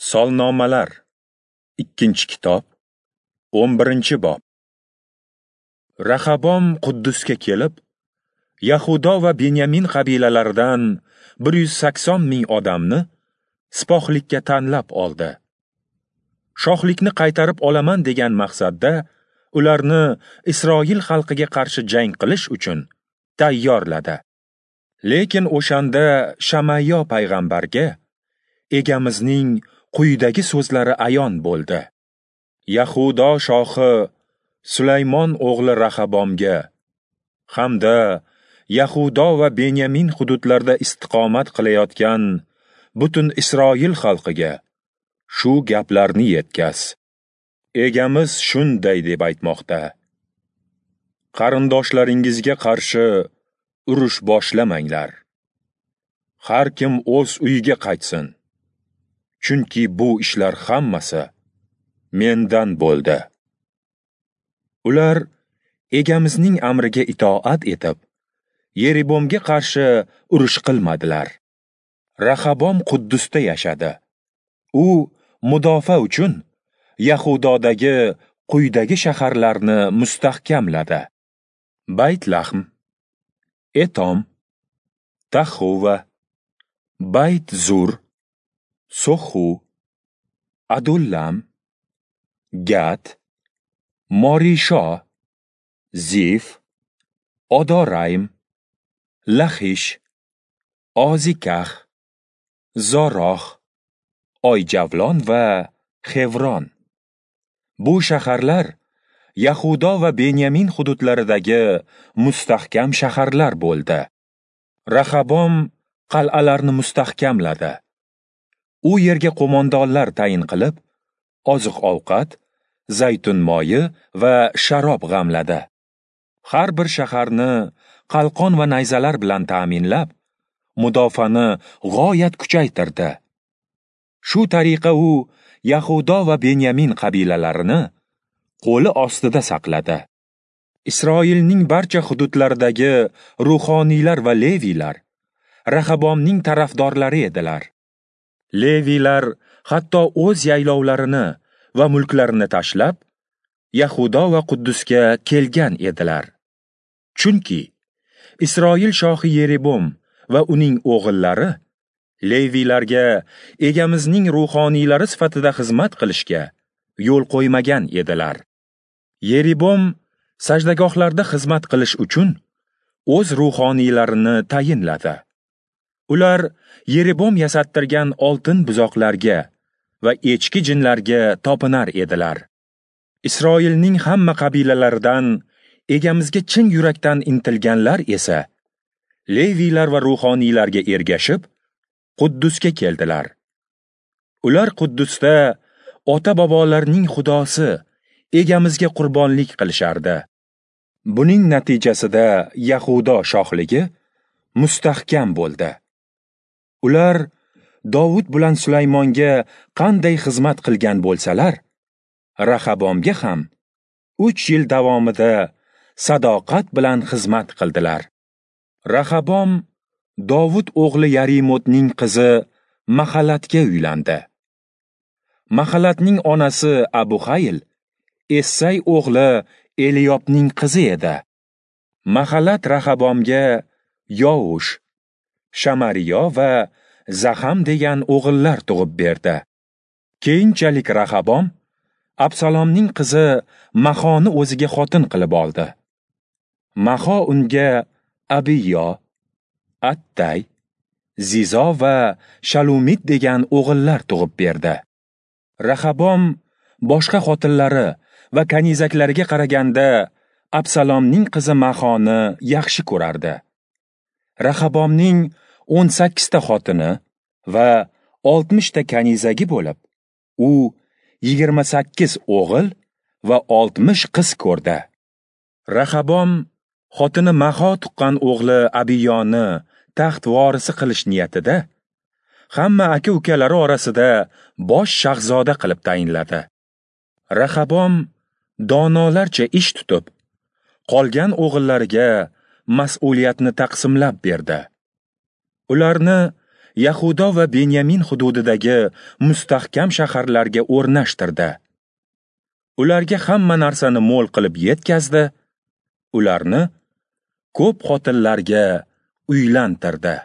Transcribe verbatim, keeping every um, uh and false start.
Solnomalar, ikkinchi kitob, o'n birinchi bob. Rahabom Quddusga kelib, Yahudo va Benyamin qabilalaridan bir yuz sakson ming odamni sipohlikka tanlab oldi. Shohlikni qaytarib olaman degan maqsadda ularni Isroil xalqiga qarshi jang qilish uchun tayyorladi. Lekin o'shanda Shamayyo payg'ambarga Egamizning quyidagi so'zlari ayon bo'ldi. Yahudo shohi Sulaymon o'g'li Rahabomga hamda Yahudo va Benyamin hududlarida istiqomat qilayotgan butun Isroil xalqiga shu gaplarni yetkaz. Egamiz shunday deb aytmoqda: Qarindoshlaringizga qarshi urush boshlamanglar. Har kim o'z uyiga qaytsin. Chunki bu ishlar hammasi mendan bo'ldi. Ular Egamizning amriga itoat etib, Yeribomga qarshi urush qilmadilar. Rahabom Quddusda yashadi. U mudofaa uchun Yahudodagi quyidagi shaharlarni mustahkamladi: Bayt-Lahm, Etom, Taxuva, Bayt-Zur, Soxu, Adullam, Gat, Morisho, Zif, Odoraym, Laxish, Ozikax, Zorox, Oyjavlon va Xevron. Bu shaharlar Yahudo va Benyamin hududlaridagi mustahkam shaharlar bo'ldi. Rahabom qal'alarni mustahkamladi. U yerga qo'mondonlar tayin qilib, oziq-ovqat, zaytun moyi va sharob g'amladi. Har bir shaharni qalqon va nayzalar bilan ta'minlab, mudofaani g'oyat kuchaytirdi. Shu tariqa u Yahudo va Benyamin qabilalarini qo'li ostida saqladi. Isroilning barcha hududlaridagi ruhoniylar va leviylar Rahabomning tarafdorlari edilar. Leviylar hatto o'z yaylovlarini va mulklarini tashlab, Yahudo va Quddusga kelgan edilar. Chunki Isroil shohi Yeribom va uning o'g'illari leviylarga Egamizning ruhoniylari sifatida xizmat qilishga yo'l qo'ymagan edilar. Yeribom sajdagohlarda xizmat qilish uchun o'z ruhoniylarini tayinladi. Ular Yeribom yasattirgan oltin buzoqlarga va echki jinlarga topinar edilar. Isroilning hamma qabilalaridan Egamizga chin yurakdan intilganlar esa leviylar va ruhoniylarga ergashib, Quddusga keldilar. Ular Quddusda ota-bobolarining Xudosi Egamizga qurbonlik qilishardi. Buning natijasida Yahudo shohligi mustahkam bo'ldi. Ular Dovud bilan Sulaymonga qanday xizmat qilgan bo'lsalar, Rahabomga ham uch yil davomida sadoqat bilan xizmat qildilar. Rahabom Dovud o'g'li Yarimotning qizi Mahalatga uylandi. Mahalatning onasi Abuhayl Essay o'g'li Eliyobning qizi edi. Mahalat Rahabomga Yovush, Shamariyo va Zaham degan o'g'illar tug'ib berdi. Keyinchalik Rahabom Absalomning qizi Mahoni o'ziga xotin qilib oldi. Maho unga Abiyo, Attay, Zizo va Shalumit degan o'g'illar tug'ib berdi. Rahabom boshqa xotinlari va kanizaklariga qaraganda Absalomning qizi Mahoni yaxshi ko'rardi. Rahabomning o'n sakkizta xotini va oltmishta kanizagi bo'lib, u yigirma sakkiz o'g'il va oltmish qiz ko'rdi. Rahabom xotini Maho tuqqan o'g'li Abiyoni taxt vorisi qilish niyatida hamma aka-ukalari orasida bosh shahzoda qilib tayinladi. Rahabom donolarcha ish tutib, qolgan o'g'illariga mas'uliyatni taqsimlab berdi. Ularni Yahudo va Benyamin hududidagi mustahkam shaharlarga o'rnashtirdi. Ularga hamma narsani mo'l qilib yetkazdi, ularni ko'p xotinlarga uylantirdi.